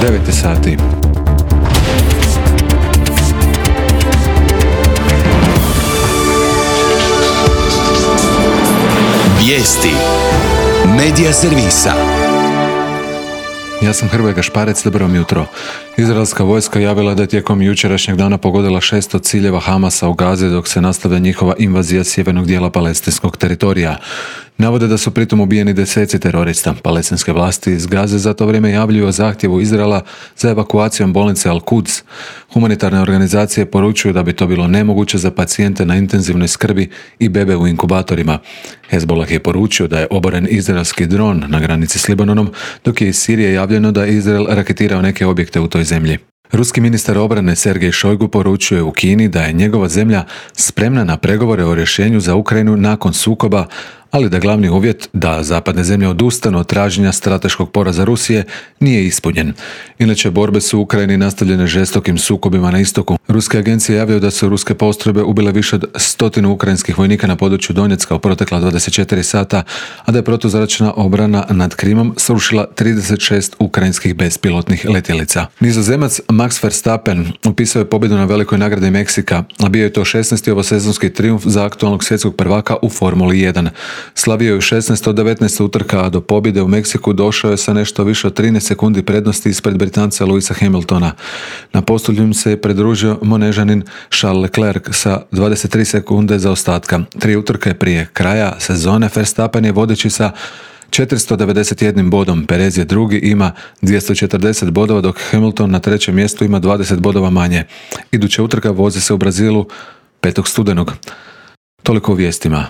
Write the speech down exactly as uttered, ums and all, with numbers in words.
devet sati. Vijesti Medija servisa. Ja sam Hrvoje Gašparec, dobro vam jutro. Izraelska vojska javila da je tijekom jučerašnjeg dana pogodila šesto ciljeva Hamasa u Gazi dok se nastavlja njihova invazija sjevernog dijela palestinskog teritorija. Navode da su pritom ubijeni deseci terorista. Palestinske vlasti iz Gaze za to vrijeme javljuju o zahtjevu Izraela za evakuacijom bolnice Al-Quds. Humanitarne organizacije poručuju da bi to bilo nemoguće za pacijente na intenzivnoj skrbi i bebe u inkubatorima. Hezbollah je poručio da je oboren izraelski dron na granici s Libanonom, dok je iz Sirije javljeno da je Izrael raketirao neke objekte u toj zemlji. Ruski ministar obrane Sergej Šojgu poručuje u Kini da je njegova zemlja spremna na pregovore o rješenju za Ukrajinu nakon sukoba, ali da glavni uvjet da zapadne zemlje odustanu od traženja strateškog poraza Rusije nije ispunjen. Inače, borbe su u Ukrajini nastavljene žestokim sukobima na istoku. Ruske agencije javljaju da su ruske postrojbe ubile više od stotinu ukrajinskih vojnika na području Donjecka u protekla dvadeset četiri sata, a da je protuzračna obrana nad Krimom srušila trideset šest ukrajinskih bespilotnih letjelica. Nizozemac Max Verstappen upisao je pobjedu na velikoj nagradi Meksika, a bio je to šesnaesti ovosezonski trijumf za aktualnog svjetskog prvaka u Formuli jedan. Slavio je u šesnaest od devetnaest utrka, a do pobjede u Meksiku došao je sa nešto više od trinaest sekundi prednosti ispred Britanca Lewisa Hamiltona. Na postolju se je pridružio Monežanin Charles Leclerc sa dvadeset tri sekunde zaostatka. Tri utrke prije kraja sezone Verstappen je vodeći sa četiristo devedeset jedan bodom, Perez je drugi, ima dvjesto četrdeset bodova, dok Hamilton na trećem mjestu ima dvadeset bodova manje. Iduća utrka vozi se u Brazilu petog studenog. Toliko u vijestima.